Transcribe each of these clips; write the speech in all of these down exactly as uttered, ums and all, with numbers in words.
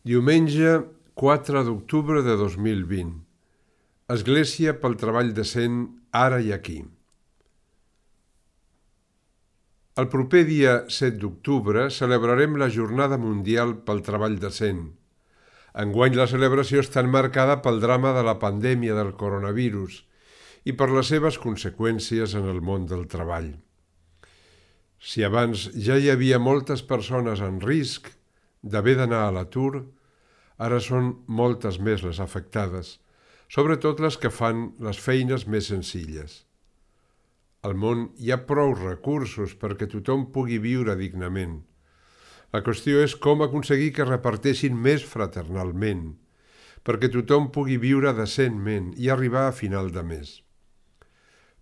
Diumenge quatre d'octubre de dos mil vint. Església pel treball decent ara i aquí. El proper dia set d'octubre celebrarem la Jornada Mundial pel Treball Decent. Enguany la celebració està marcada pel drama de la pandèmia del coronavirus i per les seves conseqüències en el món del treball. Si abans ja hi havia moltes persones en risc d'haver d'anar a l'atur, ara són moltes més les afectades, sobretot les que fan les feines més senzilles. Al món hi ha prou recursos perquè tothom pugui viure dignament. La qüestió és com aconseguir que reparteixin més fraternalment, perquè tothom pugui viure decentment i arribar a final de mes.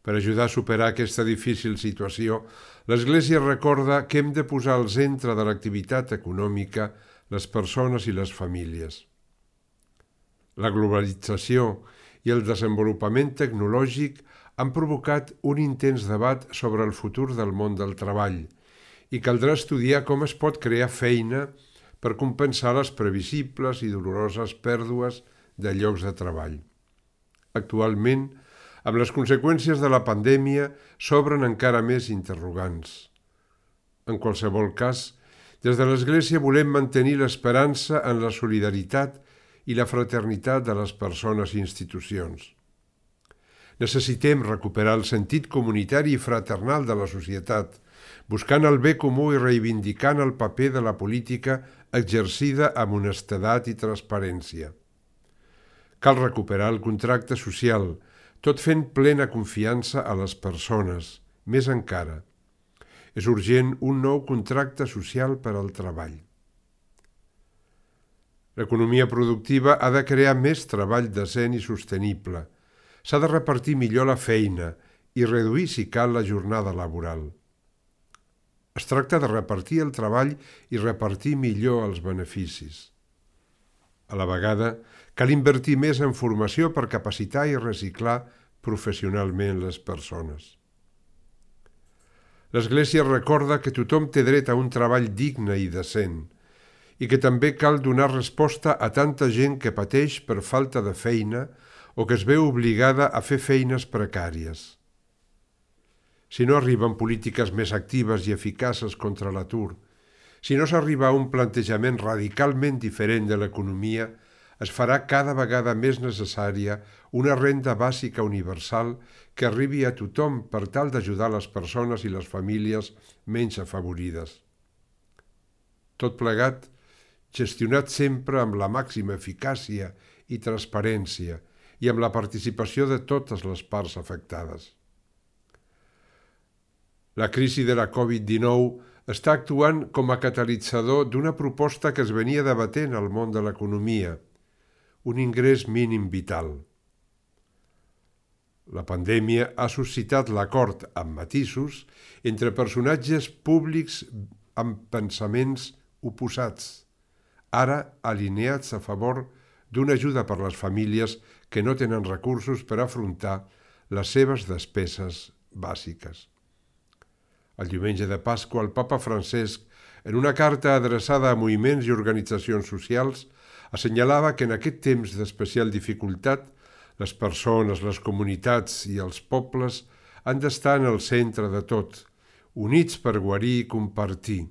Per ajudar a superar aquesta difícil situació, l'Església recorda que hem de posar al centre de l'activitat econòmica les persones i les famílies. La globalització i el desenvolupament tecnològic han provocat un intens debat sobre el futur del món del treball i caldrà estudiar com es pot crear feina per compensar les previsibles i doloroses pèrdues de llocs de treball. Actualment, amb les conseqüències de la pandèmia, s'obren encara més interrogants. En qualsevol cas, des de l'Església volem mantenir l'esperança en la solidaritat i la fraternitat de les persones i institucions. Necessitem recuperar el sentit comunitari i fraternal de la societat, buscant el bé comú i reivindicant el paper de la política exercida amb honestedat i transparència. Cal recuperar el contracte social, tot fent plena confiança a les persones, més encara. És urgent un nou contracte social per al treball. L'economia productiva ha de crear més treball decent i sostenible. S'ha de repartir millor la feina i reduir, si cal, la jornada laboral. Es tracta de repartir el treball i repartir millor els beneficis. A la vegada, cal invertir més en formació per capacitar i reciclar professionalment les persones. L'Església recorda que tothom té dret a un treball digne i decent i que també cal donar resposta a tanta gent que pateix per falta de feina o que es veu obligada a fer feines precàries. Si no arriben polítiques més actives i eficaces contra l'atur, si no s'arriba a un plantejament radicalment diferent de l'economia, es farà cada vegada més necessària una renda bàsica universal que arribi a tothom per tal d'ajudar les persones i les famílies menys afavorides. Tot plegat, gestionat sempre amb la màxima eficàcia i transparència i amb la participació de totes les parts afectades. La crisi de la covid dinou està actuant com a catalitzador d'una proposta que es venia debatent al món de l'economia, un ingrés mínim vital. La pandèmia ha suscitat l'acord amb matisos entre personatges públics amb pensaments oposats, ara alineats a favor d'una ajuda per les famílies que no tenen recursos per afrontar les seves despeses bàsiques. El diumenge de Pasqua, el papa Francesc, en una carta adreçada a moviments i organitzacions socials, assenyalava que en aquest temps d'especial dificultat les persones, les comunitats i els pobles han d'estar en el centre de tot, units per guarir i compartir,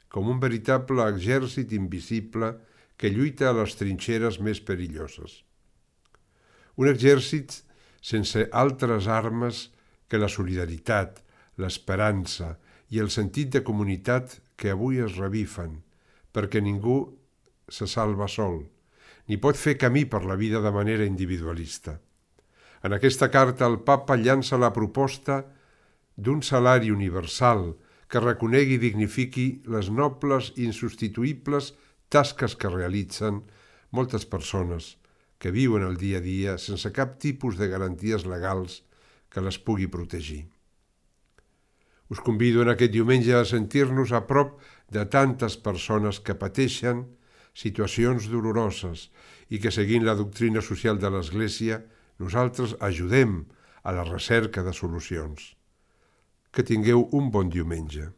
com un veritable exèrcit invisible que lluita a les trinxeres més perilloses. Un exèrcit sense altres armes que la solidaritat, l'esperança i el sentit de comunitat que avui es revifen, perquè ningú se salva sol, ni pot fer camí per la vida de manera individualista. En aquesta carta el papa llança la proposta d'un salari universal que reconegui i dignifiqui les nobles i insubstituïbles tasques que realitzen moltes persones que viuen el dia a dia sense cap tipus de garanties legals que les pugui protegir. Us convido en aquest diumenge a sentir-nos a prop de tantes persones que pateixen situacions doloroses i que, seguint la doctrina social de l'Església, nosaltres ajudem a la recerca de solucions. Que tingueu un bon diumenge.